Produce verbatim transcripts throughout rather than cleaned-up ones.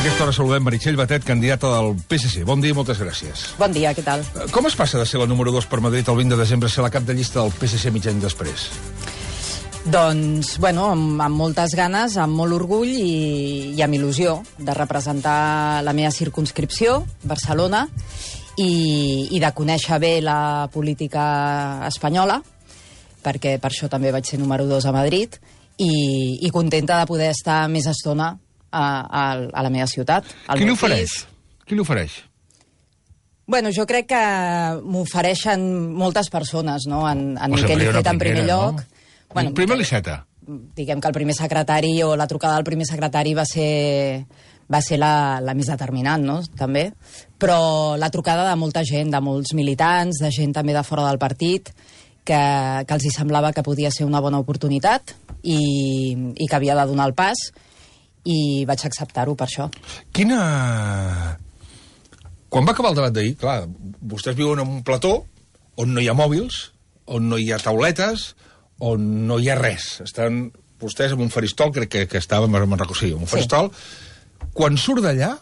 aquesta hora saludem Meritxell Batet, candidata del P S C. Bon dia i moltes gràcies. Bon dia, què tal? Com es passa de ser la número dos per Madrid el vint de desembre a ser la cap de llista del P S C mig any després? Doncs, bueno, amb, amb moltes ganes, amb molt orgull i, i amb il·lusió de representar la meva circumscripció, Barcelona, i, i de conèixer bé la política espanyola, perquè per això també vaig ser número dos a Madrid, i, i contenta de poder estar més estona a, a, a la meva ciutat. Qui l'ofereix? Qui l'ofereix? Bueno, jo crec que m'ofereixen moltes persones, no? En, en O sigui, Miquel una Iceta, en primer primera, lloc. no? Bueno, primer l'Iceta. Diguem que el primer secretari o la trucada del primer secretari va ser, va ser la, la més determinant, no? També. Però la trucada de molta gent, de molts militants, de gent també de fora del partit, que, que els hi semblava que podia ser una bona oportunitat i, i que havia de donar el pas, i vaig acceptar-ho per això. Quina... Quan va acabar el debat d'ahir, clar, vostès viuen en un plató on no hi ha mòbils, on no hi ha tauletes, on no hi ha res. Estan vostès en un faristol, crec que, que estàvem, me'n recordo, sí, en un faristol. Sí. Quan surt d'allà,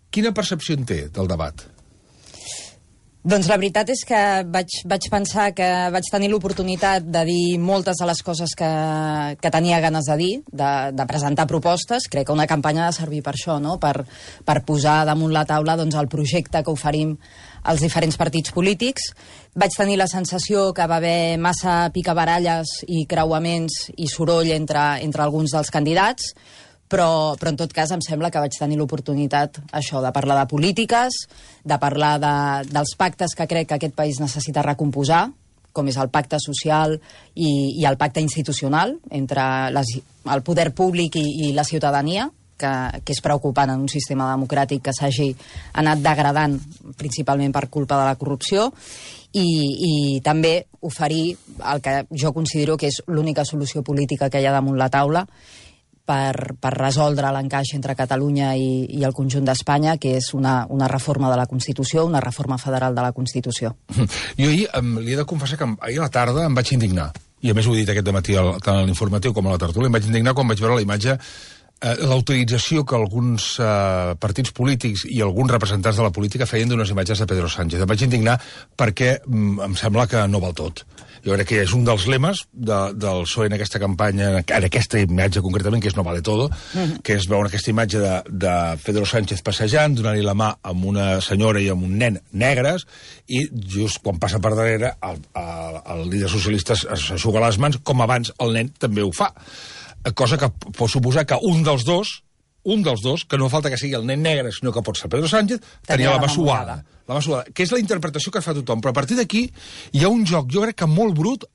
quina percepció en té del debat? Doncs la veritat és que vaig, vaig pensar que vaig tenir l'oportunitat de dir moltes de les coses que, que tenia ganes de dir, de, de presentar propostes. Crec que una campanya ha de servir per això, no? per, per posar damunt la taula doncs, el projecte que oferim als diferents partits polítics. Vaig tenir la sensació que va haver massa picabaralles i creuaments i soroll entre, entre alguns dels candidats, Però, però en tot cas em sembla que vaig tenir l'oportunitat això de parlar de polítiques, de parlar de, dels pactes que crec que aquest país necessita recomposar, com és el pacte social i, i el pacte institucional entre les, el poder públic i, i la ciutadania, que, que és preocupant en un sistema democràtic que s'hagi anat degradant principalment per culpa de la corrupció, i, i també oferir el que jo considero que és l'única solució política que hi ha damunt la taula, Per, per resoldre l'encaix entre Catalunya i, i el conjunt d'Espanya, que és una, una reforma de la Constitució, una reforma federal de la Constitució. Jo ahir em, li he de confessar que ahir a la tarda em vaig indignar, i a més ho he dit aquest dematí tant a l'informatiu com a la tertúlia, em vaig indignar quan vaig veure la imatge, eh, la utilització que alguns eh, partits polítics i alguns representants de la política feien d'unes imatges de Pedro Sánchez. Em vaig indignar perquè mm, em sembla que no val tot. Jo crec que és un dels lemes de, del P S O E en aquesta campanya, en aquesta imatge concretament, que és no vale todo, mm-hmm. que és veure aquesta imatge de, de Pedro Sánchez passejant, donant-li la mà amb una senyora i amb un nen negres, i just quan passa per darrere el, el, el líder socialista s'aixuga les mans, com abans el nen també ho fa. Cosa que pot suposar que un dels dos, un dels dos, que no falta que sigui el nen negre, sinó que pot ser Pedro Sánchez, tenia la mà suada. La mà suada, que és la interpretació que fa tothom. Però a partir d'aquí hi ha un joc, jo crec que molt brut,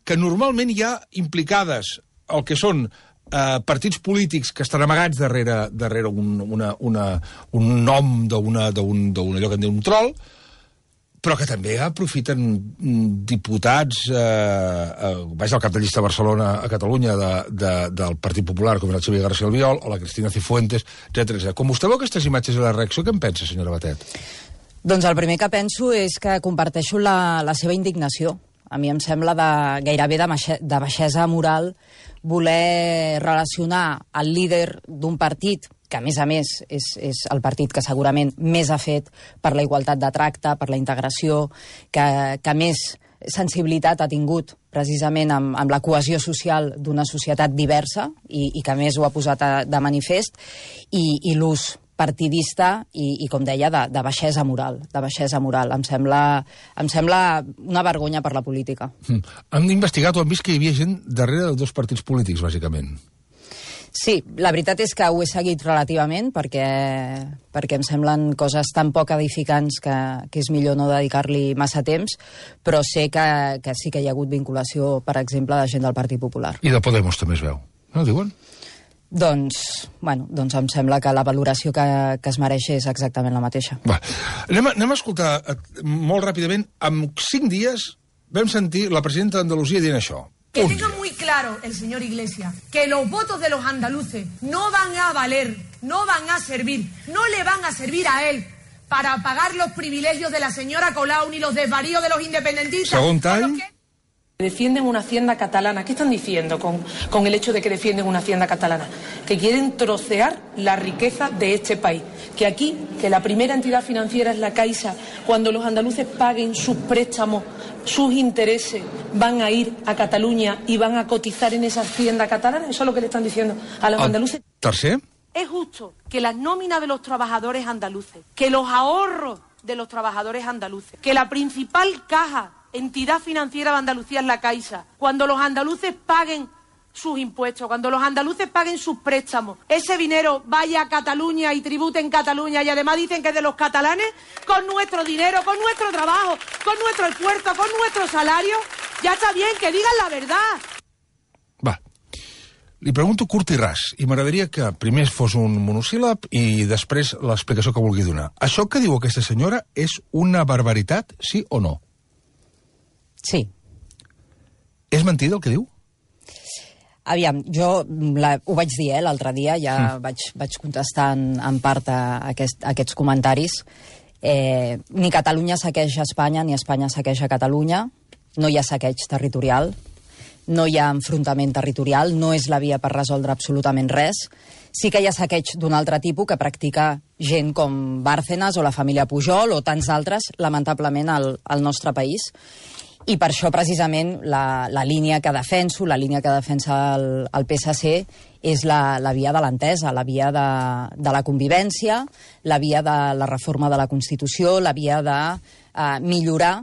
que normalment hi ha implicades el que són eh, partits polítics que estan amagats darrere, darrere un, una, una, un nom d'un allò que en diu un troll, però que també aprofiten diputats, eh, eh, vaja, el cap de llista de Barcelona a Catalunya de, de, del Partit Popular, com era el Xavier García Albiol, o la Cristina Cifuentes, etcètera. Com vostè veu aquestes imatges i la reacció, què en pensa, senyora Batet? Doncs el primer que penso és que comparteixo la, la seva indignació. A mi em sembla de, gairebé de, maixer, de baixesa moral voler relacionar el líder d'un partit, que a més a més és, és el partit que segurament més ha fet per la igualtat de tracte, per la integració, que, que més sensibilitat ha tingut precisament amb, amb la cohesió social d'una societat diversa i, i que més ho ha posat a, de manifest, i, i l'ús partidista i, i com deia, de, de baixesa moral. De baixesa moral. Em sembla, em sembla una vergonya per la política. Mm. Han investigat o han vist que hi havia gent darrere de dos partits polítics, bàsicament? Sí, la veritat és que ho he seguit relativament perquè, perquè em semblen coses tan poc edificants que, que és millor no dedicar-li massa temps, però sé que, que sí que hi ha hagut vinculació, per exemple, de gent del Partit Popular. I de Podemos també es veu, no diuen? Doncs, bueno, doncs em sembla que la valoració que, que es mereix és exactament la mateixa. Va. Anem, a, anem a escoltar molt ràpidament. En cinc dies vam sentir la presidenta d'Andalusia dient això. Que tenga muy claro el señor Iglesias que los votos de los andaluces no van a valer, no van a servir, no le van a servir a él para pagar los privilegios de la señora Colau ni los desvaríos de los independentistas. Segon tall. Defienden una hacienda catalana. ¿Qué están diciendo con, con el hecho de que defienden una hacienda catalana? Que quieren trocear la riqueza de este país. Que aquí, que la primera entidad financiera es la Caixa, cuando los andaluces paguen sus préstamos, sus intereses, van a ir a Cataluña y van a cotizar en esa hacienda catalana. Eso es lo que le están diciendo a los andaluces. Tercer. Es justo que las nóminas de los trabajadores andaluces, que los ahorros de los trabajadores andaluces, que la principal caja, entidad financiera de Andalucía es la Caixa, cuando los andaluces paguen sus impuestos, cuando los andaluces paguen sus préstamos, ese dinero vaya a Cataluña y tribute en Cataluña y además dicen que es de los catalanes, con nuestro dinero, con nuestro trabajo, con nuestro esfuerzo, con nuestro salario, ya está bien, que digan la verdad. Va. Li pregunto curt i ras, i m'agradaria que primer fos un monosíl·lab i després l'explicació que vulgui donar. Això que diu aquesta senyora és una barbaritat, sí o no? Sí. És mentida el que diu? Aviam, jo la, ho vaig dir eh, l'altre dia, ja mm. vaig, vaig contestar en, en part a, aquest, a aquests comentaris. Eh, ni Catalunya saqueja Espanya, ni Espanya saqueja Catalunya. No hi ha saqueig territorial, no hi ha enfrontament territorial, no és la via per resoldre absolutament res. Sí que hi ha saqueig d'un altre tipus que practica gent com Bárcenas o la família Pujol o tants d'altres, lamentablement, al, al nostre país. I per això, precisament, la, la línia que defenso, la línia que defensa el, el P S C, és la, la via de l'entesa, la via de, de la convivència, la via de la reforma de la Constitució, la via de eh, millorar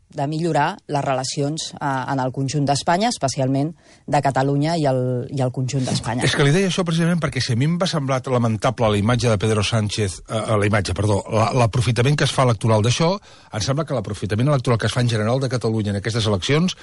de millorar les relacions eh, en el conjunt d'Espanya, especialment de Catalunya i el, i el conjunt d'Espanya. És que li deia això precisament perquè si a mi em va semblar lamentable la imatge de Pedro Sánchez, eh, la imatge, perdó, l'aprofitament que es fa electoral d'això, em sembla que l'aprofitament electoral que es fa en general de Catalunya en aquestes eleccions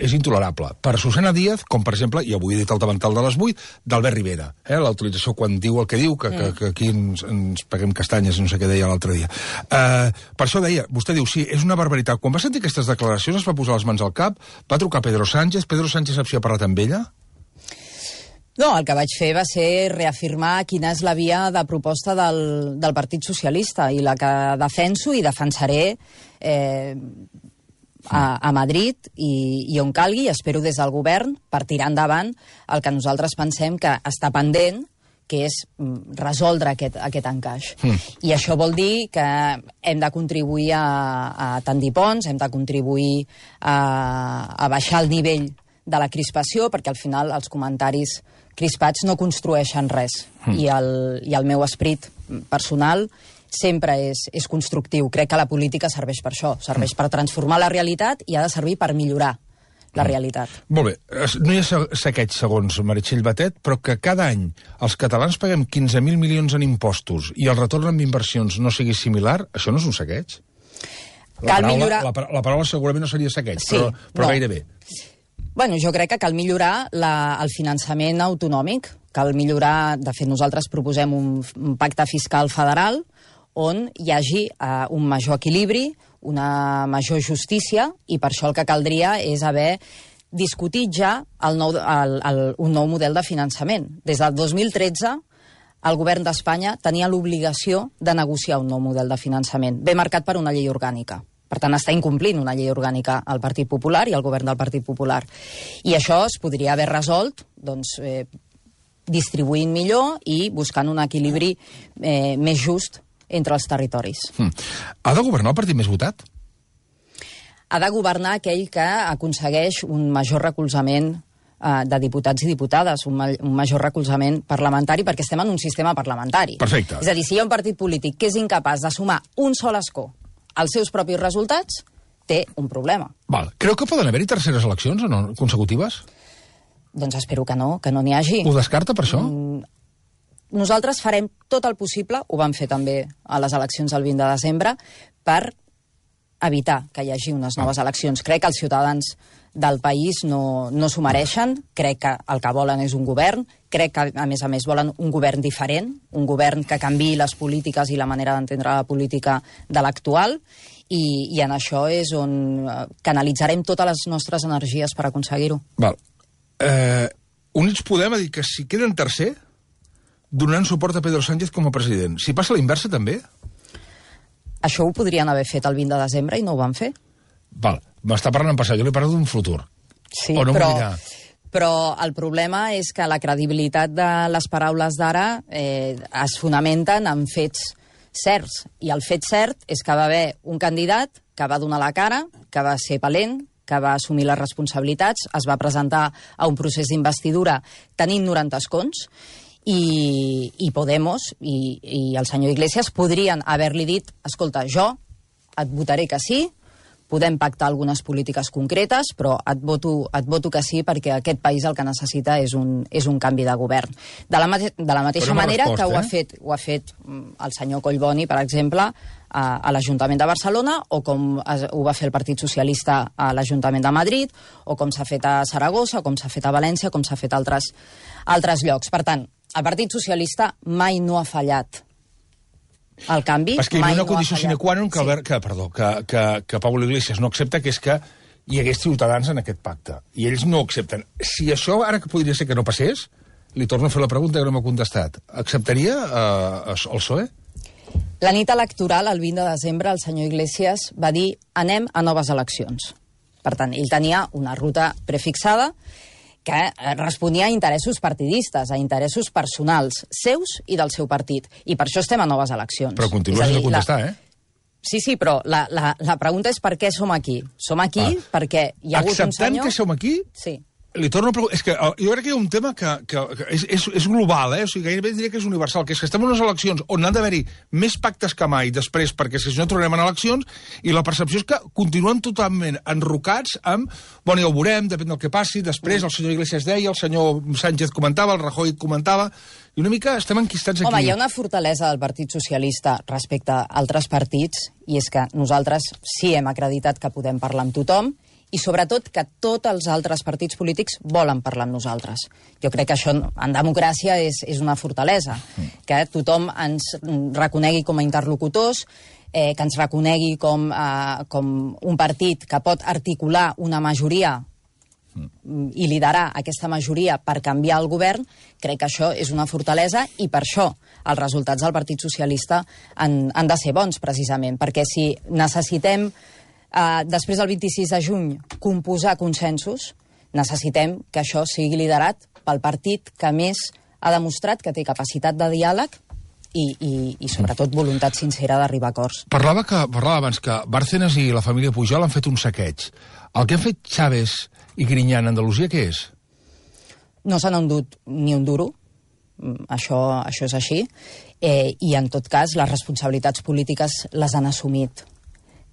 és intolerable. Per Susana Díaz, com per exemple, i avui he dit el davantal de les vuit, d'Albert Rivera. Eh? La utilització quan diu el que diu, que, que, que aquí ens, ens paguem castanyes, no sé què deia l'altre dia. Uh, per això deia, vostè diu, sí, és una barbaritat. Quan va sentir aquestes declaracions es va posar les mans al cap, va trucar Pedro Sánchez, Pedro Sánchez sap si ha parlat amb ella? No, el que vaig fer va ser reafirmar quina és la via de proposta del, del Partit Socialista i la que defenso i defensaré eh, A, a Madrid i, i on calgui, espero des del govern, per tirar endavant el que nosaltres pensem que està pendent, que és resoldre aquest, aquest encaix. Mm. I això vol dir que hem de contribuir a, a tendir ponts, hem de contribuir a, a baixar el nivell de la crispació, perquè al final els comentaris crispats no construeixen res. Mm. I, el, I el meu esperit personal sempre és, és constructiu. Crec que la política serveix per això, serveix per transformar la realitat i ha de servir per millorar la realitat. Molt bé, no hi ha saqueig segons Meritxell Batet, però que cada any els catalans paguem quinze mil milions en impostos i el retorn en inversions no sigui similar, això no és un saqueig? La Cal paraula, millorar... la, la paraula segurament no seria saqueig, sí, però, però no. gairebé. Bueno, jo crec que cal millorar la, el finançament autonòmic, cal millorar, de fet nosaltres proposem un, un pacte fiscal federal on hi hagi uh, un major equilibri, una major justícia, i per això el que caldria és haver discutit ja el nou, el, el, un nou model de finançament. Des del dos mil tretze, el govern d'Espanya tenia l'obligació de negociar un nou model de finançament, ben marcat per una llei orgànica. Per tant, està incomplint una llei orgànica al Partit Popular i al govern del Partit Popular. I això es podria haver resolt doncs, eh, distribuint millor i buscant un equilibri eh, més just entre els territoris. Hmm. Ha de governar el partit més votat? Ha de governar aquell que aconsegueix un major recolzament eh, de diputats i diputades, un, ma un major recolzament parlamentari, perquè estem en un sistema parlamentari. Perfecte. És a dir, si hi ha un partit polític que és incapaç de sumar un sol escó als seus propis resultats, té un problema. Val. Creu que poden haver-hi terceres eleccions o no, consecutives? Doncs espero que no, que no n'hi hagi. Ho descarta per això? Mm, nosaltres farem tot el possible, ho vam fer també a les eleccions del vint de desembre, per evitar que hi hagi unes noves eleccions. Crec que els ciutadans del país no, no s'ho mereixen, crec que el que volen és un govern, crec que, a més a més, volen un govern diferent, un govern que canviï les polítiques i la manera d'entendre la política de l'actual, i, i en això és on canalitzarem totes les nostres energies per aconseguir-ho. Val. Eh, Units Podem ha dit que si queden tercer, donaran suport a Pedro Sánchez com a president. Si passa la inversa, també? Això ho podrien haver fet el vint de desembre i no ho van fer. Val, m'està parlant en passat, jo li parlo d'un futur. Sí, o no però, m'ho dirà? Però el problema és que la credibilitat de les paraules d'ara eh, es fonamenten en fets certs. I el fet cert és que va haver un candidat que va donar la cara, que va ser valent, que va assumir les responsabilitats, es va presentar a un procés d'investidura tenint noranta escons, i, i Podemos i, i el senyor Iglesias podrien haver-li dit: escolta, jo et votaré que sí, podem pactar algunes polítiques concretes, però et voto, et voto que sí perquè aquest país el que necessita és un, és un canvi de govern. De la, mate de la mateixa no manera resposta, que ho ha, eh? fet, ho ha fet el senyor Collboni, per exemple, a, a l'Ajuntament de Barcelona, o com es, ho va fer el Partit Socialista a l'Ajuntament de Madrid, o com s'ha fet a Saragossa, o com s'ha fet a València, com s'ha fet a altres, altres llocs. Per tant, el Partit Socialista mai no ha fallat el canvi. És que hi ha una mai no condició sine qua non que, sí. Albert, que, perdó, que, que, que Pablo Iglesias no accepta, que és que hi hagués ciutadans en aquest pacte. I ells no ho accepten. Si això ara que podria ser que no passés, li torno a fer la pregunta que no m'ha contestat. Acceptaria eh, el P S O E? La nit electoral, el vint de desembre, el senyor Iglesias va dir: anem a noves eleccions. Per tant, ell tenia una ruta prefixada que responia a interessos partidistes, a interessos personals, seus i del seu partit. I per això estem a noves eleccions. Però continua sense contestar, la... eh? Sí, sí, però la, la, la pregunta és per què som aquí. Som aquí ah. perquè hi ha hagut un senyor... Acceptant que som aquí, sí. li torno a preguntar... És que uh, jo crec que hi ha un tema que, que, que és, és, és global, eh? O sigui, gairebé diria que és universal, que és que estem en unes eleccions on han d'haver-hi més pactes que mai després, perquè si no tornem en eleccions, i la percepció és que continuen totalment enrocats amb... Bueno, ja ho veurem, depèn del que passi, després el senyor Iglesias deia, el senyor Sánchez comentava, el Rajoy comentava, i una mica estem enquistats aquí. Home, hi ha una fortalesa del Partit Socialista respecte a altres partits, i és que nosaltres sí hem acreditat que podem parlar amb tothom, i sobretot que tots els altres partits polítics volen parlar amb nosaltres. Jo crec que això en democràcia és, és una fortalesa, que tothom ens reconegui com a interlocutors, eh, que ens reconegui com, eh, com un partit que pot articular una majoria i liderar aquesta majoria per canviar el govern. Crec que això és una fortalesa, i per això els resultats del Partit Socialista han, han de ser bons, precisament, perquè si necessitem Uh, després del vint-i-sis de juny composar consensos, necessitem que això sigui liderat pel partit que més ha demostrat que té capacitat de diàleg i, i, i sobretot voluntat sincera d'arribar a acords. Parlava, que, parlava abans que Bárcenas i la família Pujol han fet un saqueig. El que han fet Chávez i Griñán a Andalusia, què és? No s'han endut ni un duro, això, això és així, eh, i en tot cas les responsabilitats polítiques les han assumit.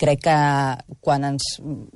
Crec que quan, ens,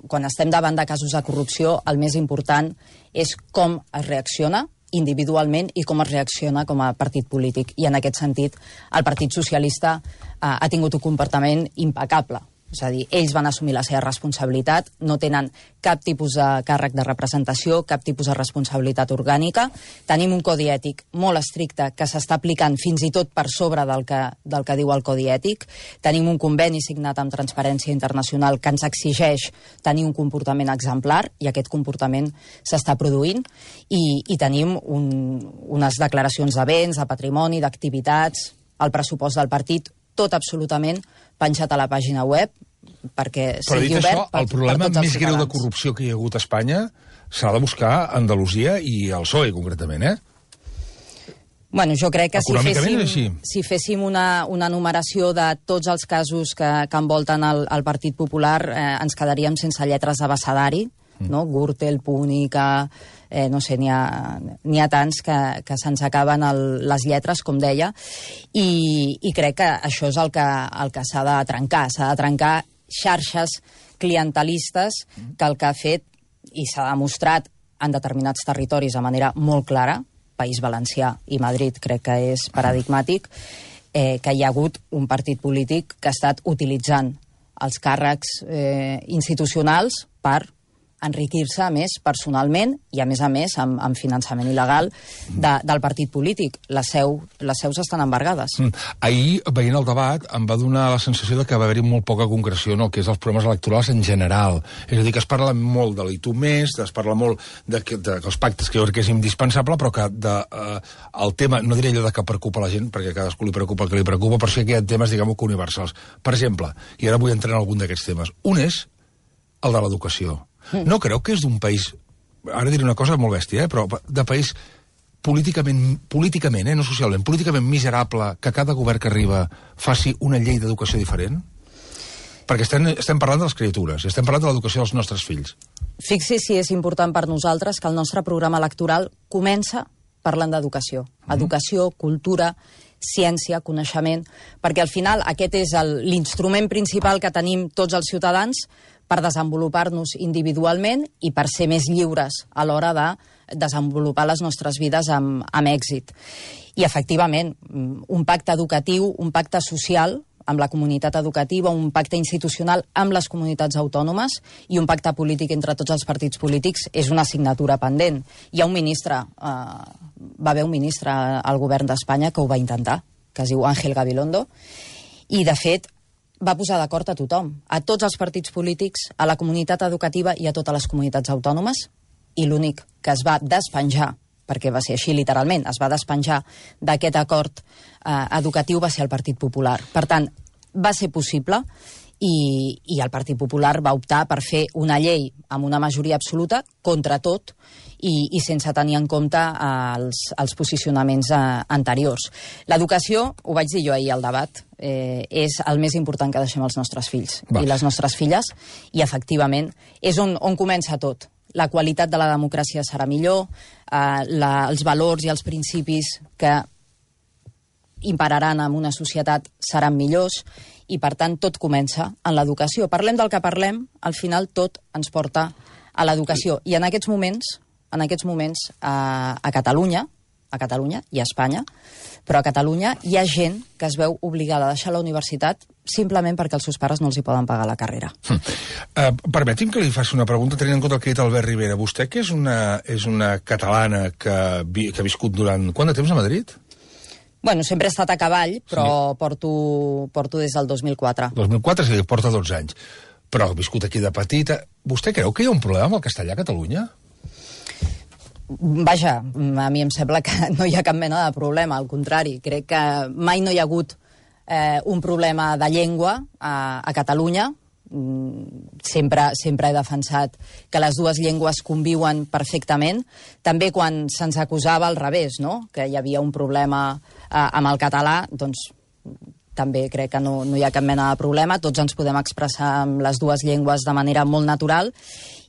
quan estem davant de casos de corrupció, el més important és com es reacciona individualment i com es reacciona com a partit polític. I en aquest sentit, el Partit Socialista eh, ha tingut un comportament impecable. És a dir, ells van assumir la seva responsabilitat, no tenen cap tipus de càrrec de representació, cap tipus de responsabilitat orgànica. Tenim un codi ètic molt estricte que s'està aplicant fins i tot per sobre del que, del que diu el codi ètic. Tenim un conveni signat amb Transparència Internacional que ens exigeix tenir un comportament exemplar, i aquest comportament s'està produint, i, i tenim un, unes declaracions de béns, de patrimoni, d'activitats, el pressupost del partit, tot absolutament penjat a la pàgina web, perquè sigui obert això, per, el problema per tots els més ciutadans. greu de corrupció que hi ha hagut a Espanya s'ha de buscar a Andalusia i al P S O E, concretament, eh? Bueno, jo crec que si Econòmicament és així. féssim, si féssim una, una numeració de tots els casos que, que envolten el, el Partit Popular, eh, ens quedaríem sense lletres d'abecedari, mm. no? Gürtel, Púnica, eh, no sé, n'hi ha, n'hi ha tants que, que se'ns acaben el, les lletres, com deia, i, i crec que això és el que, el que s'ha de trencar. S'ha de trencar xarxes clientelistes que el que ha fet, i s'ha demostrat en determinats territoris de manera molt clara, País Valencià i Madrid crec que és paradigmàtic, eh, que hi ha hagut un partit polític que ha estat utilitzant els càrrecs eh, institucionals per enriquir-se més personalment i, a més a més, amb, amb finançament il·legal de, del partit polític. Les, seu, les seus estan embargades. Mm. Ahir, veient el debat, em va donar la sensació de que va haver-hi molt poca concreció en el que és els problemes electorals en general. És a dir, que es parla molt de l'I tu més, es parla molt de, que, de, que els pactes, que jo crec que és indispensable, però que de, eh, el tema, no diré allò de que preocupa la gent, perquè a cadascú li preocupa el que li preocupa, però sí que hi ha temes, diguem-ho, universals. Per exemple, i ara vull entrar en algun d'aquests temes, un és el de l'educació. No creu que és d'un país ara diré una cosa molt bèstia, eh, però de país políticament, políticament, eh, no socialment, políticament miserable que cada govern que arriba faci una llei d'educació diferent? Perquè estem, estem parlant de les criatures, estem parlant de l'educació dels nostres fills. Fixi si és important per nosaltres que el nostre programa electoral comença parlant d'educació. Mm. Educació, cultura, ciència, coneixement, perquè al final aquest és l'instrument principal que tenim tots els ciutadans per desenvolupar-nos individualment i per ser més lliures a l'hora de desenvolupar les nostres vides amb, amb èxit. I, efectivament, un pacte educatiu, un pacte social amb la comunitat educativa, un pacte institucional amb les comunitats autònomes i un pacte polític entre tots els partits polítics és una assignatura pendent. Hi ha un ministre, eh, va haver un ministre al govern d'Espanya que ho va intentar, que es diu Ángel Gabilondo, i, de fet, va posar d'acord a tothom, a tots els partits polítics, a la comunitat educativa i a totes les comunitats autònomes, i l'únic que es va despenjar, perquè va ser així literalment, es va despenjar d'aquest acord eh, educatiu va ser el Partit Popular. Per tant, va ser possible i, i el Partit Popular va optar per fer una llei amb una majoria absoluta contra tot i, i sense tenir en compte eh, els, els posicionaments eh, anteriors. L'educació, ho vaig dir jo ahir al debat, eh, és el més important que deixem als nostres fills va. I les nostres filles, i efectivament és on, on comença tot. La qualitat de la democràcia serà millor, eh, la, els valors i els principis que imperaran en una societat seran millors i, per tant, tot comença en l'educació. Parlem del que parlem, al final tot ens porta a l'educació. I en aquests moments, en aquests moments a, a Catalunya, a Catalunya i a Espanya, però a Catalunya hi ha gent que es veu obligada a deixar la universitat simplement perquè els seus pares no els hi poden pagar la carrera. Hm. Uh, permeti'm que li faci una pregunta tenint en compte el que ha dit Albert Rivera. Vostè, que és una, és una catalana que, vi, que ha viscut durant... Quant de temps a Madrid? Bueno, sempre he estat a cavall, però sí. porto, porto des del dos mil quatre. dos mil quatre, sí, porta dotze anys. Però ha viscut aquí de petita. Vostè creu que hi ha un problema amb el castellà a Catalunya? Vaja, a mi em sembla que no hi ha cap mena de problema, al contrari. Crec que mai no hi ha hagut eh, un problema de llengua a, a Catalunya. Sempre, sempre he defensat que les dues llengües conviuen perfectament. També quan se'ns acusava al revés, no? Que hi havia un problema eh, amb el català, doncs també crec que no, no hi ha cap mena de problema. Tots ens podem expressar amb les dues llengües de manera molt natural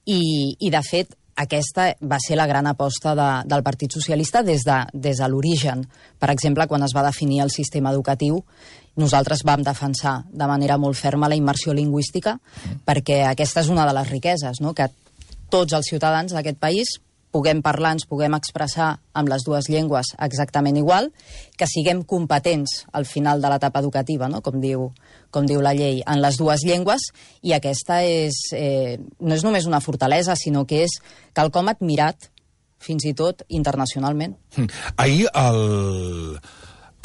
i, i de fet, aquesta va ser la gran aposta de, del Partit Socialista des de, des de l'origen. Per exemple, quan es va definir el sistema educatiu, nosaltres vam defensar de manera molt ferma la immersió lingüística, perquè aquesta és una de les riqueses, no? Que tots els ciutadans d'aquest país puguem parlar, ens puguem expressar amb les dues llengües exactament igual, que siguem competents al final de l'etapa educativa, no? com, diu, com diu la llei, en les dues llengües, i aquesta és, eh, no és només una fortalesa, sinó que és quelcom admirat, fins i tot internacionalment. Ahir el,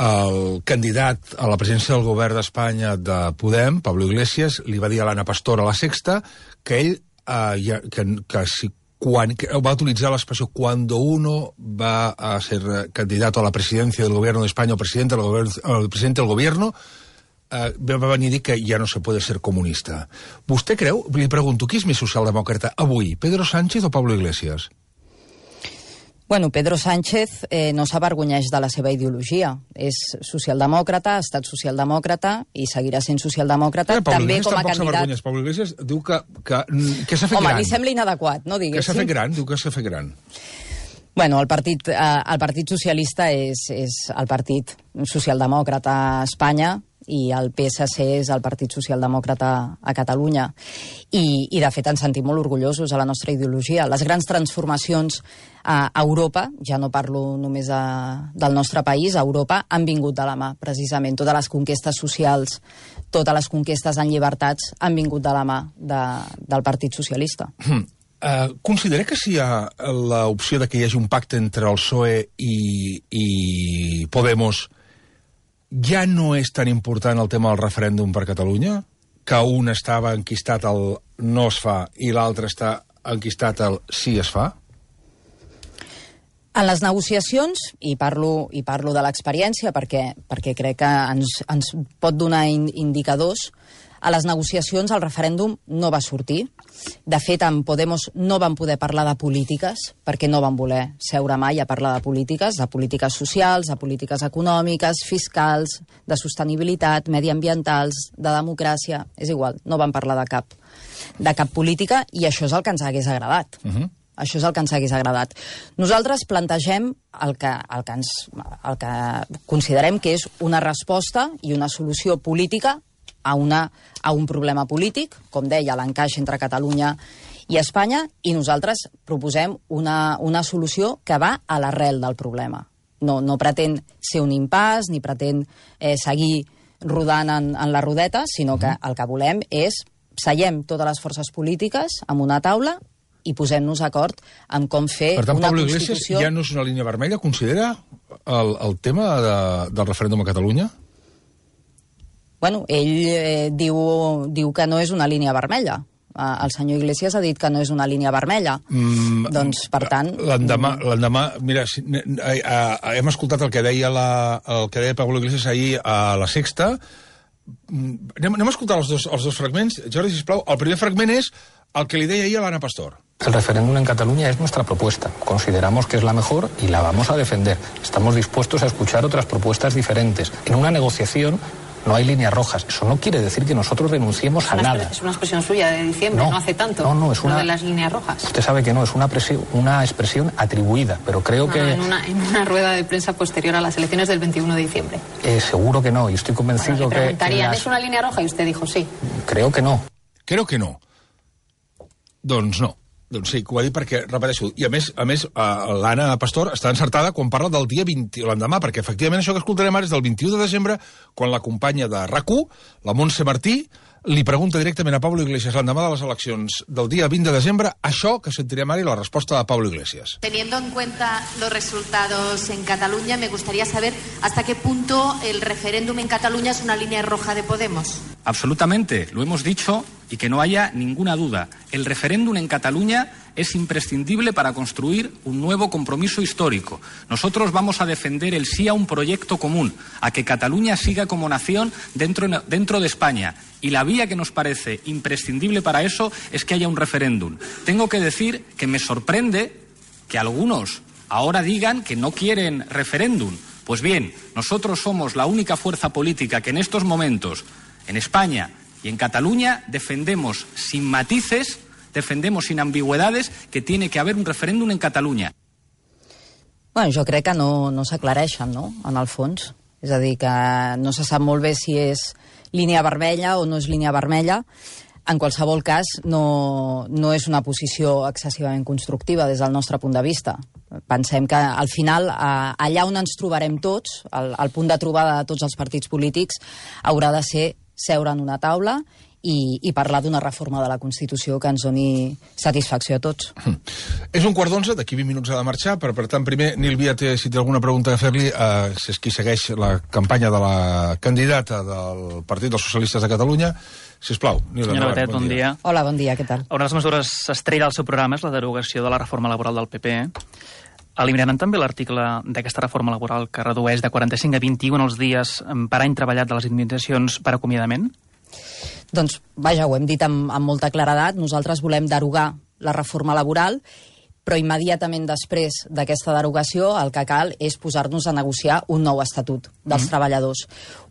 el candidat a la presidència del govern d'Espanya de Podem, Pablo Iglesias, li va dir a l'Anna Pastor a La Sexta que ell, eh, que, que si Quan, va utilitzar l'expressió cuando uno va a ser candidato a la presidencia del gobierno de España o presidente del gobierno, el presidente del gobierno, eh, va venir a dir que ja no se puede ser comunista. Vostè creu, li pregunto, qui és més socialdemòcrata avui, Pedro Sánchez o Pablo Iglesias? Bueno, Pedro Sánchez eh, no s'avergonyeix de la seva ideologia. És socialdemòcrata, ha estat socialdemòcrata i seguirà sent socialdemòcrata, eh, també com a candidat... Pablo Iglesias diu que, que, que s'ha fet Home, gran. Home, li sembla inadequat, no diguéssim. Que s'ha fet gran, diu que s'ha fet gran. Bueno, el partit, eh, el partit socialista és, és el partit socialdemòcrata a Espanya i el P S C és el Partit Socialdemòcrata a Catalunya. I, i de fet, ens sentim molt orgullosos a la nostra ideologia. Les grans transformacions a Europa, ja no parlo només a, del nostre país, a Europa, han vingut de la mà, precisament. Totes les conquestes socials, totes les conquestes en llibertats han vingut de la mà de, del Partit Socialista. Mm. Uh, considera que si hi ha l'opció de que hi hagi un pacte entre el P S O E i, i Podemos, ja no és tan important el tema del referèndum per Catalunya? Que un estava enquistat al no es fa i l'altre està enquistat al sí es fa? En les negociacions, i parlo, i parlo de l'experiència perquè, perquè crec que ens, ens pot donar in, indicadors, a les negociacions el referèndum no va sortir. De fet, amb Podemos no van poder parlar de polítiques, perquè no van voler seure mai a parlar de polítiques, de polítiques socials, de polítiques econòmiques, fiscals, de sostenibilitat, mediambientals, de democràcia, és igual, no van parlar de cap, de cap política, i això és el que ens hagués agradat. Uh-huh. Això és el que ens hagués agradat. Nosaltres plantegem el que, el, que ens, el que considerem que és una resposta i una solució política a, una, a un problema polític, com deia, l'encaix entre Catalunya i Espanya, i nosaltres proposem una, una solució que va a l'arrel del problema. No, no pretén ser un impàs, ni pretén eh, seguir rodant en, en la rodeta, sinó que el que volem és seiem totes les forces polítiques en una taula i posem-nos d'acord en com fer per tant, una Pablo Constitució... Iglesias ja no és una línia vermella? Considera el, el tema de, del referèndum a Catalunya? Bueno, ell eh, diu, diu que no és una línia vermella. Eh, el senyor Iglesias ha dit que no és una línia vermella. Mm, doncs, per tant... L'endemà, l'endemà, mira, si, eh, eh, hem escoltat el que deia, la, el que deia Pablo Iglesias ahir a La Sexta. Anem, anem a escoltar els dos, els dos fragments. Jordi, sisplau, el primer fragment és el que li deia ahir a l'Anna Pastor. El referéndum en Cataluña es nuestra propuesta. Consideramos que es la mejor y la vamos a defender. Estamos dispuestos a escuchar otras propuestas diferentes. En una negociación no hay líneas rojas. Eso no quiere decir que nosotros renunciemos a nada. Es una expresión suya de diciembre, no, no hace tanto. No, no, es una... Lo de las líneas rojas. Usted sabe que no, es una, presión, una expresión atribuida, pero creo no, que... No, en, una, en una rueda de prensa posterior a las elecciones del veintiuno de diciembre. Eh, seguro que no, y estoy convencido bueno, le preguntarían, que... Las... ¿es una línea roja? Y usted dijo sí. Creo que no. Creo que no. Doncs no. Doncs sí, que ho ha dit perquè, repeteixo, i a més, a més l'Anna Pastor està encertada quan parla del dia vint, l'endemà, perquè efectivament això que escoltarem ara és del vint-i-u de desembre, quan la companya de RAC u, la Montse Martí, li pregunta directament a Pablo Iglesias l'endemà de les eleccions del dia vint de desembre, això que sentirem ara i la resposta de Pablo Iglesias. Teniendo en cuenta los resultados en Cataluña, me gustaría saber hasta qué punto el referéndum en Cataluña es una línea roja de Podemos. Absolutamente, lo hemos dicho y que no haya ninguna duda. El referéndum en Cataluña es imprescindible para construir un nuevo compromiso histórico. Nosotros vamos a defender el sí a un proyecto común, a que Cataluña siga como nación dentro, dentro de España. Y la vía que nos parece imprescindible para eso es que haya un referéndum. Tengo que decir que me sorprende que algunos ahora digan que no quieren referéndum. Pues bien, nosotros somos la única fuerza política que en estos momentos, en España y en Cataluña, defendemos sin matices, defendemos sin ambigüedades que tiene que haver un referèndum en Catalunya. Bueno, jo crec que no, no s'aclareixen, no?, en el fons. És a dir, que no se sap molt bé si és línia vermella o no és línia vermella. En qualsevol cas, no, no és una posició excessivament constructiva des del nostre punt de vista. Pensem que, al final, allà on ens trobarem tots, el, el punt de trobada de tots els partits polítics, haurà de ser seure en una taula i, i parlar d'una reforma de la Constitució que ens doni satisfacció a tots. Mm. És un quart d'onze, d'aquí vint minuts ha de marxar, però per tant, primer, Nil Via, té, si té alguna pregunta a fer-li, eh, si és qui segueix la campanya de la candidata del Partit dels Socialistes de Catalunya. Sisplau, Nil, Senyora endavant, Batet, bon dia. dia. Hola, bon dia, què tal? Una de les mesures estrella del seu programa és la derogació de la reforma laboral del P P. Eliminaran també l'article d'aquesta reforma laboral que redueix de quaranta-cinc a vint-i-un els dies per any treballat de les indemnitzacions per acomiadament? Doncs, vaja, ho hem dit amb, amb molta claredat. Nosaltres volem derogar la reforma laboral, però immediatament després d'aquesta derogació el que cal és posar-nos a negociar un nou estatut dels mm. treballadors.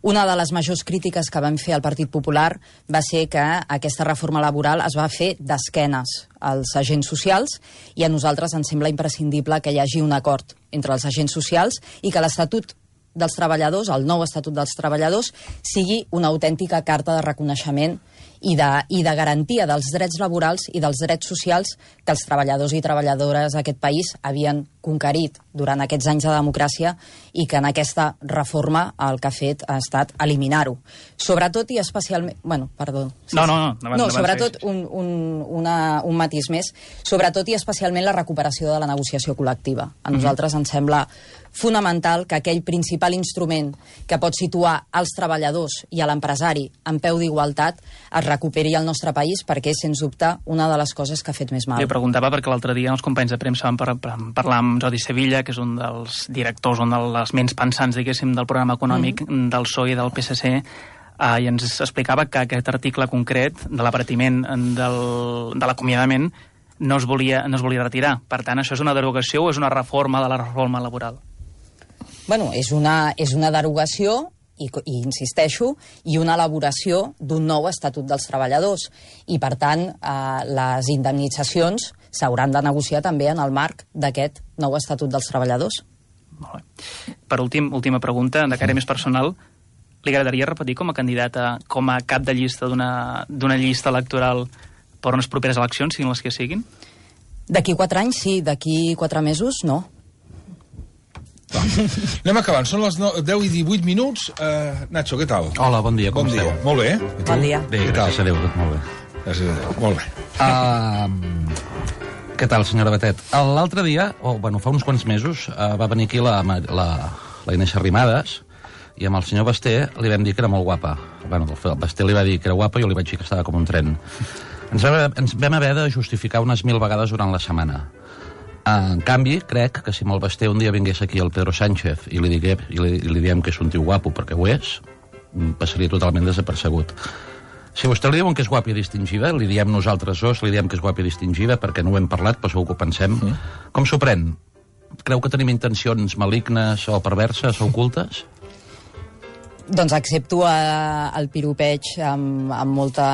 Una de les majors crítiques que vam fer al Partit Popular va ser que aquesta reforma laboral es va fer d'esquenes als agents socials i a nosaltres ens sembla imprescindible que hi hagi un acord entre els agents socials i que l'Estatut dels Treballadors, el nou Estatut dels Treballadors, sigui una autèntica carta de reconeixement i de, i de garantia dels drets laborals i dels drets socials que els treballadors i treballadores d'aquest país havien conquerit durant aquests anys de democràcia i que en aquesta reforma el que ha fet ha estat eliminar-ho. Sobretot i especialment... Bueno, perdó. Sí, no, no, no. No, no sobretot un, un, una, un matís més. Sobretot i especialment la recuperació de la negociació col·lectiva. A nosaltres mm-hmm. ens sembla fonamental que aquell principal instrument que pot situar els treballadors i a l'empresari en peu d'igualtat es recuperi al nostre país, perquè és, sens dubte, una de les coses que ha fet més mal. Li preguntava perquè l'altre dia els companys de premsa van par par parlar amb Jordi Sevilla, que és un dels directors, un dels ments pensants, diguéssim, del programa econòmic mm. del P S O E i del P S C, Uh, i ens explicava que aquest article concret de l'abaratiment del, de l'acomiadament no es volia, no es volia retirar. Per tant, això és una derogació o és una reforma de la reforma laboral? Bueno, és una, és una derogació i, i insisteixo, i una elaboració d'un nou Estatut dels Treballadors. I, per tant, eh, les indemnitzacions s'hauran de negociar també en el marc d'aquest nou Estatut dels Treballadors. Molt bé. Per últim, última pregunta, de cara més personal, li agradaria repetir com a candidata, com a cap de llista d'una llista electoral per unes properes eleccions, siguin les que siguin? D'aquí quatre anys, sí. D'aquí quatre mesos, no. Va. Anem acabant. Són les deu i divuit minuts. Uh, Nacho, què tal? Hola, bon dia. Com bon esteu? Dia. Molt bé. Bon dia. Bé, gràcies a Déu, tot molt bé. Gràcies a Déu. Molt bé. Uh, què tal, senyora Batet? L'altre dia, o oh, bueno, fa uns quants mesos, uh, va venir aquí la, la, la Inés Arrimadas, i amb el senyor Basté li vam dir que era molt guapa. Bueno, el Basté li va dir que era guapa i jo li vaig dir que estava com un tren. Ens vam, ens vam haver de justificar unes mil vegades durant la setmana. En canvi, crec que si amb el Basté un dia vingués aquí el Pedro Sánchez i li, digué, i li, i li diem que és un tio guapo, perquè ho és, passaria totalment desapercebut. Si vostè li diuen que és guapa i distingida, li diem nosaltres dos, li diem que és guapa i distingida, perquè no ho hem parlat, però segur que ho pensem. Mm. Com s'ho pren? Creu que tenim intencions malignes o perverses o ocultes? Doncs accepto eh, el piropeig amb, amb, molta,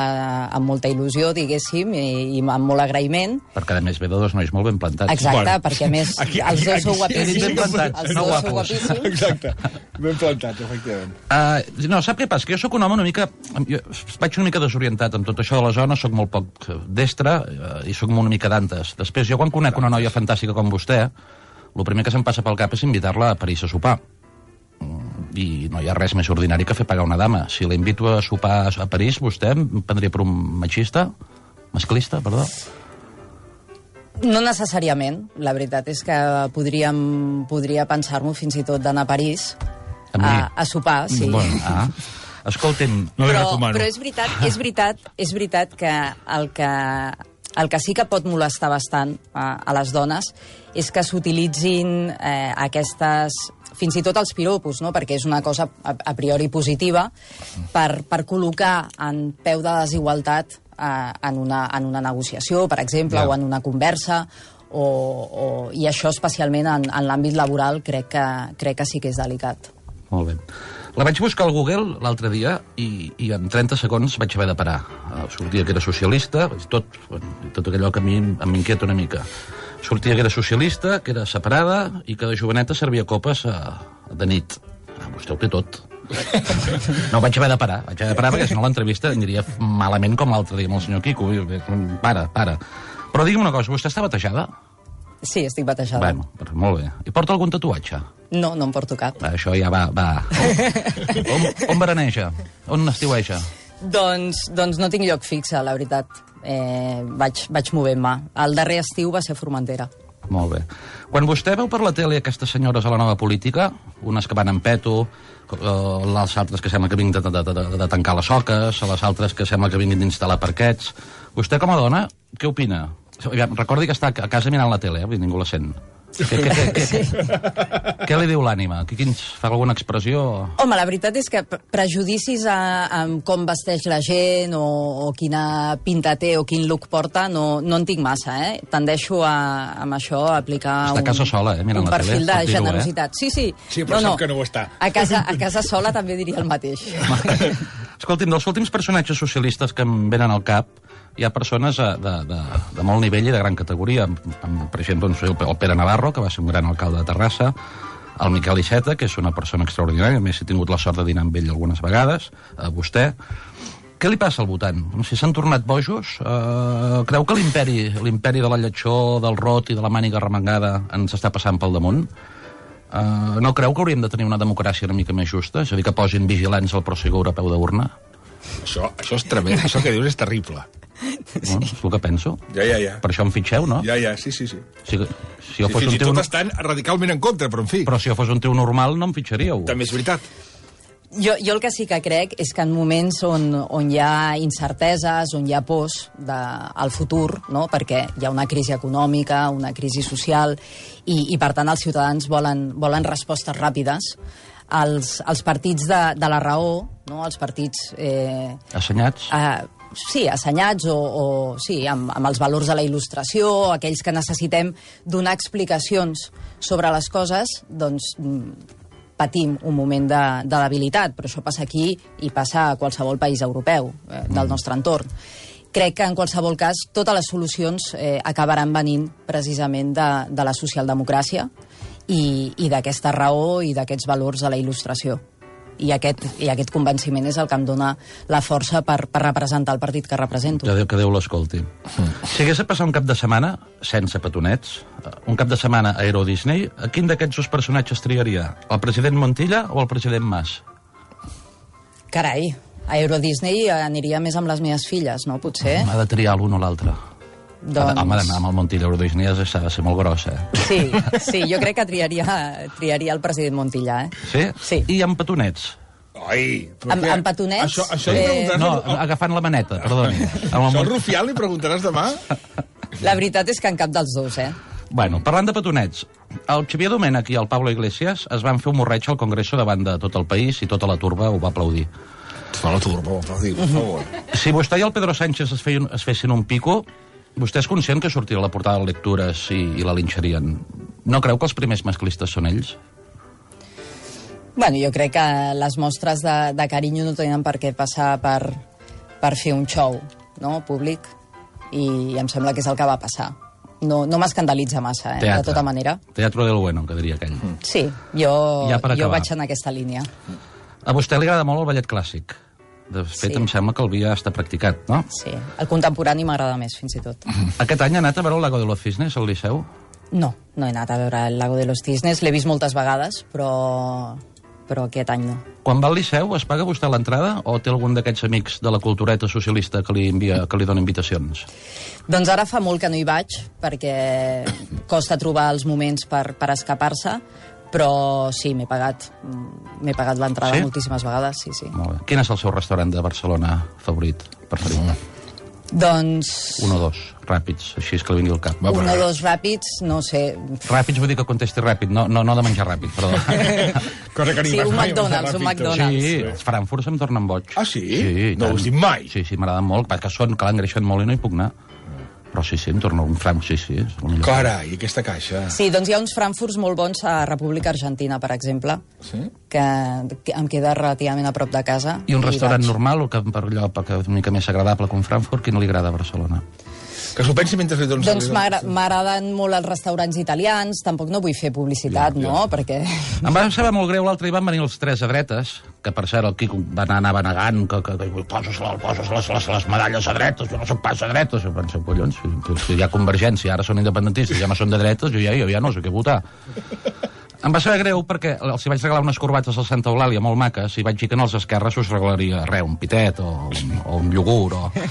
amb molta il·lusió, diguéssim, i, i amb molt agraïment. Perquè, a més, ve de dos nois molt ben plantats. Exacte, bueno, perquè, a més, aquí, els dos sou guapíssims. Ben plantats, els no dos guapos. sou guapíssims. Exacte, ben plantats, efectivament. Uh, no, sap què passa? Que jo sóc un home una mica... Jo vaig una mica desorientat amb tot això de la zona, sóc molt poc destre uh, i sóc una mica d'antes. Després, jo quan conec una noia fantàstica com vostè, el primer que se'm passa pel cap és invitar-la a París a sopar. I no hi ha res més ordinari que fer pagar una dama. Si la invito a sopar a París, vostè em prendria per un machista? Masclista, perdó? No necessàriament. La veritat és que podríem, podria pensar-m'ho fins i tot d'anar a París a, a sopar, sí. Bon, ah. Escolti'm, no però, però és veritat, és veritat, és veritat que el que el que sí que pot molestar bastant a, a les dones és que s'utilitzin eh, aquestes, fins i tot els piropos, no? Perquè és una cosa a, a priori positiva, per, per col·locar en peu de desigualtat eh, en, una, en una negociació, per exemple, yeah. o en una conversa, o, o, i això especialment en, en l'àmbit laboral crec que, crec que sí que és delicat. Molt bé. La vaig buscar al Google l'altre dia i, i en trenta segons vaig haver de parar. Uh, sortia que era socialista, tot, tot allò que a mi m'inquieta una mica. Sortia que era socialista, que era separada i que de joveneta servia copes uh, de nit. Ah, vostè ho té tot. No, vaig haver de parar. Vaig haver de parar perquè si no l'entrevista aniria malament com l'altre dia amb el senyor Quico. Para, para. Però digui'm una cosa, vostè està batejada? Sí, estic batejada. Bueno, molt bé. I porta algun tatuatge? No, no em porto cap. Va, això ja va... va. On, on veraneja? On estiueja? Doncs, doncs no tinc lloc fixe, la veritat. Eh, vaig vaig movent-me. El darrer estiu va ser Formentera. Molt bé. Quan vostè veu per la tele aquestes senyores a la nova política, unes que van en peto, eh, les altres que sembla que vinguin de, de, de, de tancar les soques, les altres que sembla que vinguin d'instal·lar parquets, vostè com a dona, què opina? Recordi que està a casa mirant la tele, eh? Ningú la sent. Què, què, què, què, sí. què li diu l'ànima? Qui ens fa alguna expressió? Home, la veritat és que prejudicis a, a com vesteix la gent o, o quina pinta té o quin look porta no, no en tinc massa, eh? Tendeixo a, amb això a aplicar està a casa un, sola, eh? Mirant un la perfil tele, de generositat. Eh? Sí, sí. Sí, però no, sap no. que no ho està. A casa, a casa sola també diria el mateix. Escolti'm, dels últims personatges socialistes que em venen al cap, hi ha persones de, de, de, de molt nivell i de gran categoria. Per exemple, el Pere Navarro, que va ser un gran alcalde de Terrassa, el Miquel Iceta, que és una persona extraordinària, a més he tingut la sort de dinar amb ell algunes vegades, a vostè. Què li passa al votant? Si s'han tornat bojos, eh, creu que l'imperi l'imperi de la lletjor, del rot i de la màniga remangada ens està passant pel damunt? Eh, no creu que hauríem de tenir una democràcia una mica més justa? És a dir, que posin vigilants al pròxim europeu d'urna? Això, això és tremend, això que dius és terrible. Sí. No? És el que penso. Ja, ja, ja. Per això em fitxeu, no? Ja, ja, sí, sí, sí. Si, si jo sí, fos fins un i tio... tot estan radicalment en contra, però en fi. Però si jo fos un tio normal no em fitxaríeu. També és veritat. Jo, jo el que sí que crec és que en moments on, on hi ha incerteses, on hi ha pors de, al futur, no? Perquè hi ha una crisi econòmica, una crisi social, i, i per tant els ciutadans volen, volen respostes ràpides, els, els partits de, de la raó, no? Els partits... Eh, Assenyats? Eh, sí, assenyats o, o sí, amb, amb els valors de la il·lustració, aquells que necessitem donar explicacions sobre les coses, doncs patim un moment de, de debilitat, però això passa aquí i passa a qualsevol país europeu eh, del nostre entorn. Crec que en qualsevol cas totes les solucions eh, acabaran venint precisament de, de la socialdemocràcia i, i d'aquesta raó i d'aquests valors de la il·lustració. I aquest, i aquest convenciment és el que em dona la força per, per representar el partit que represento. Que Déu, que Déu l'escolti. Mm. Si hagués de passar un cap de setmana, sense petonets, un cap de setmana a Euro Disney, a quin d'aquests dos personatges triaria? El president Montilla o el president Mas? Carai, a Euro Disney aniria més amb les meves filles, no? Potser. Ha de triar l'un o l'altre. Doncs... Home, d'anar amb el Montilla a Euro Disney s'ha de ser molt gros, eh? Sí, sí, jo crec que triaria, triaria el president Montilla, eh? Sí? Sí. I amb petonets? Ai, amb, amb petonets... Això, això li preguntaràs... No, agafant la maneta, perdoni. Això al Rufián li preguntaràs demà? La veritat és que en cap dels dos, eh? Bueno, parlant de petonets, el Xavier Domènech i el Pablo Iglesias es van fer un morreig al Congreso davant de tot el país i tota la turba ho va aplaudir. Tota la turba ho va aplaudir, per favor. Si vostè i el Pedro Sánchez es, feien, es fessin un pico, vostè és conscient que sortirà a la portada de lectures i, i la linxarien. No creu que els primers masclistes són ells? Bueno, jo crec que les mostres de, de carinyo no tenen per què passar per, per fer un show, no?, públic, i em sembla que és el que va passar. No, no m'escandalitza massa, eh, Teatre. de tota manera. Teatro del bueno, que diria aquell. Sí, jo, ja jo vaig en aquesta línia. A vostè li agrada molt el ballet clàssic. De fet, sí. Em sembla que el vi ja està practicat, no? Sí, el contemporani m'agrada més, fins i tot. Aquest any ha anat a veure el Lago de los Cisnes, al Liceu? No, no he anat a veure el Lago de los Cisnes, l'he vist moltes vegades, però, però aquest any no. Quan va al Liceu, es paga vostè l'entrada o té algun d'aquests amics de la cultureta socialista que li, envia, que li dona invitacions? Doncs ara fa molt que no hi vaig, perquè costa trobar els moments per, per escapar-se, però sí, m'he pagat m'he pagat l'entrada sí? moltíssimes vegades, sí, sí. Molt bé. Quin és el seu restaurant de Barcelona favorit, preferit? Mm. Doncs... Un o dos, ràpids, així és que li vingui al cap. Va, un o dos ràpids, no sé... Ràpids vull dir que contesti ràpid, no, no, no de menjar ràpid, perdó. Cosa que sí, un McDonald's, un McDonald's. Sí, els Frankfurts em tornen boig. Ah, sí? Sí, no ho has dit mai? Sí, sí, m'agraden molt, perquè són, que l'engreixen molt i no hi puc anar. Però sí, sí, em torna un franc, sí, sí. Carai, aquesta caixa. Sí, doncs hi ha uns frankfurts molt bons a República Argentina, per exemple, sí? que, que em queda relativament a prop de casa. I un restaurant i normal, o que per allò que és una mica més agradable que un Frankfurt, qui no li agrada a Barcelona? Que s'ho pensi mentre li dones... Doncs m'agraden molt els restaurants italians, tampoc no vull fer publicitat, ja, ja. no?, perquè... Em va saber molt greu, l'altre hi van venir els tres a dretes, que per cert el Quico va anar, anava negant, que, que, que poses, poses les, les, les medalles a dretes, jo no soc pas a dretes, jo penso, collons, si, si hi ha Convergència, ara són independentistes, ja no són de dretes, jo ja, jo ja no sé què votar. Em va saber greu perquè els hi vaig regalar unes corbates al Santa Eulàlia molt maques i vaig dir que no als esquerres us regalaria res, un pitet o un, o un iogurt. O...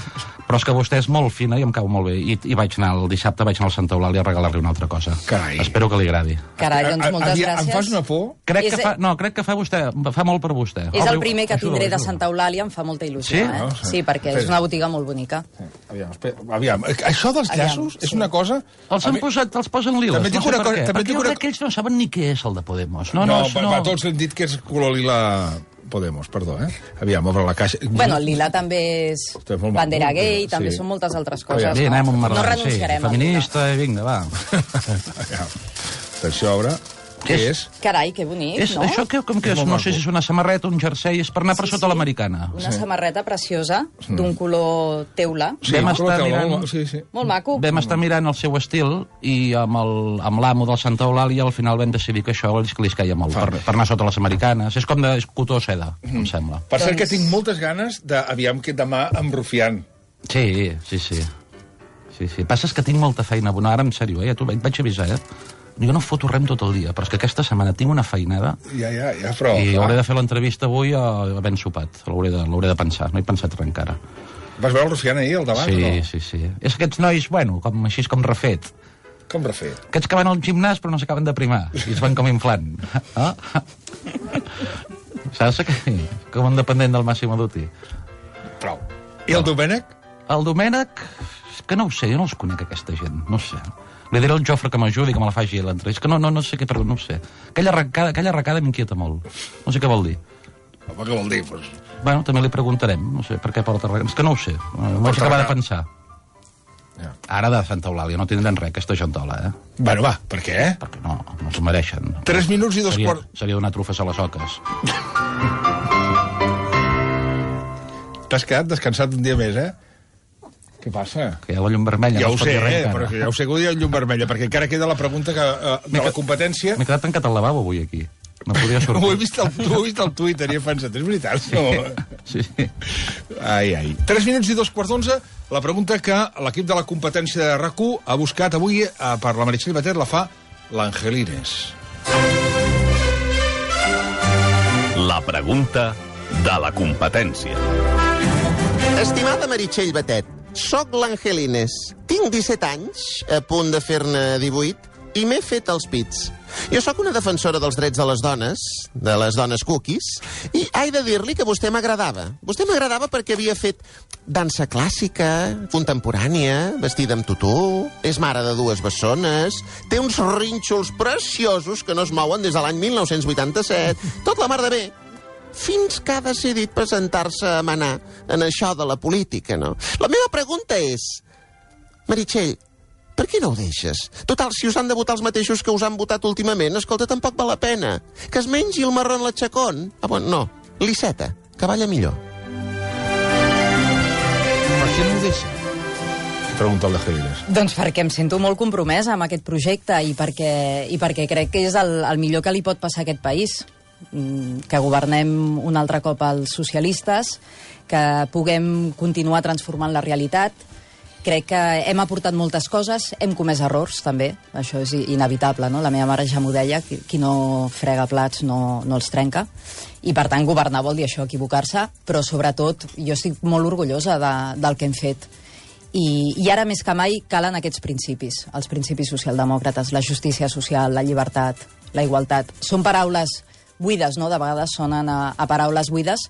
Però és que vostè és molt fina i em cau molt bé. I, i vaig anar, el dissabte vaig anar al Santa Eulàlia a regalar-li una altra cosa. Carai. Espero que li agradi. Carai, doncs moltes Aviam, gràcies. Em fas una por? Crec que fa, no, crec que fa vostè, fa molt per vostè. És Obri... el primer que ajuda, tindré ajuda. de Santa Eulàlia, em fa molta il·lusió. Sí? Eh? No, sí. sí, perquè és una botiga molt bonica. Aviam, espera, aviam. Això dels llaços aviam, és sí. una cosa... Els han posat, els posen liles, també no sé una per cosa, què. també Perquè una... aquells no saben ni què és el de Podemos. No, no, no, no, no. tots hem dit que és color lila Podemos, perdó, eh? Aviam, obre la caixa. Bueno, el lila també és bandera gay, sí. també són moltes altres coses. Aviam, sí, anem no? no renunciarem sí, feminista, i vinga, va. Atenció, obre. Què és? és? Carai, que bonic, és, no? Això que, com que és, no sé si és una samarreta, un jersei, és per anar per sí, sota sí. l'americana. Una sí. samarreta preciosa, d'un color teula. Sí, vam color estar teula, mirant, molt, sí, sí. molt maco. Vam estar mirant el seu estil i amb el- amb l'amo del Santa Eulàlia al final vam decidir que això els que li caia molt, per, per anar sota les americanes. És com de és cotó o seda, em sembla. Per cert Doncs- que tinc moltes ganes de, aviam, que demà amb Rufián. Sí, sí, sí. Sí, sí. Passa és que tinc molta feina. Bueno, ara, en sèrio, eh? Ja t'ho vaig, vaig avisar, eh? Jo no foto res tot el dia, però és que aquesta setmana tinc una feinada Ja, ja, ja, però... i clar. hauré de fer l'entrevista avui a havent sopat. L'hauré de, l'hauré de pensar, no he pensat res encara. Vas veure el Rufián ahir, al davant, sí, o no? Sí, sí, sí. És aquests nois, bueno, com, així com refet. Com refet? Aquests que van al gimnàs però no s'acaben de primar i es van com inflant. Ah? Saps que, com un dependent del Massimo Dutti. Prou. I el Domènec? El Domènec, que no ho sé, jo no els conec, aquesta gent, no sé. Li diré al Jofre que m'ajudi, que me la faci l'entrada. És que no, no, no sé què, però no ho sé. Aquella arrancada, aquella arrancada m'inquieta molt. No sé què vol dir. Home, què vol dir? Pues... Bueno, també li preguntarem, no sé per què porta arrancada. És que no ho sé, m'ho vaig acabar de pensar. Ja. Ara de Santa Eulàlia no tindran res, aquesta gentola, eh? Bueno, va, per què? Perquè no, no s'ho mereixen. Tres minuts i dos seria, quarts... Seria donar trufes a les oques. T'has quedat descansat un dia més, eh? Què passa? Que hi ha la llum vermella. Ja no ho sé, res, eh? Però ja ho sé que hi ha llum vermella, perquè encara queda la pregunta que, uh, de la competència... M'he quedat tancat al lavabo avui, aquí. No podia sortir. Ho he vist al, ho he vist al Twitter i he pensat, és veritat? Sí, no? sí, sí. Ai, ai. Tres minuts i dos quarts d'onze, la pregunta que l'equip de la competència de RAC u ha buscat avui eh, per la Meritxell Batet la fa l'Angelines. La pregunta de la competència. Estimada Meritxell Batet, soc l'Angelines. Tinc disset anys, a punt de fer-ne divuit, i m'he fet els pits. Jo sóc una defensora dels drets de les dones, de les dones cookies, i he de dir-li que vostè m'agradava. Vostè m'agradava perquè havia fet dansa clàssica, contemporània, vestida amb tutú, és mare de dues bessones, té uns rínxols preciosos que no es mouen des de l'any mil nou-cents vuitanta-set, tot la mar de bé, fins que ha decidit presentar-se a manar en això de la política, no? La meva pregunta és, Meritxell, per què no ho deixes? Total, si us han de votar els mateixos que us han votat últimament, escolta, tampoc val la pena. Que es mengi el marró en l'atxacón. Ah, bueno, no, l'Iceta, que balla millor. Per què no ho deixa? Pregunta el de Gélires. Doncs perquè em sento molt compromesa amb aquest projecte i perquè, i perquè crec que és el, el millor que li pot passar a aquest país. Que governem un altre cop els socialistes, que puguem continuar transformant la realitat. Crec que hem aportat moltes coses, hem comès errors, també, això és inevitable, no? La meva mare ja m'ho deia, qui no frega plats no, no els trenca, i per tant governar vol dir això, equivocar-se, però sobretot jo estic molt orgullosa de, del que hem fet. I, I ara més que mai calen aquests principis, els principis socialdemòcrates, la justícia social, la llibertat, la igualtat. Són paraules buides, no? De vegades sonen a, a paraules buides,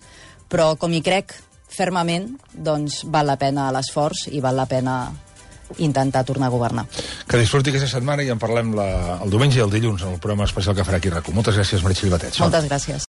però com hi crec fermament, doncs val la pena l'esforç i val la pena intentar tornar a governar. Que disfruti aquesta setmana i en parlem la, el diumenge i el dilluns en el programa especial que farà aquí RAC u. Moltes gràcies, Meritxell Batet. Moltes gràcies.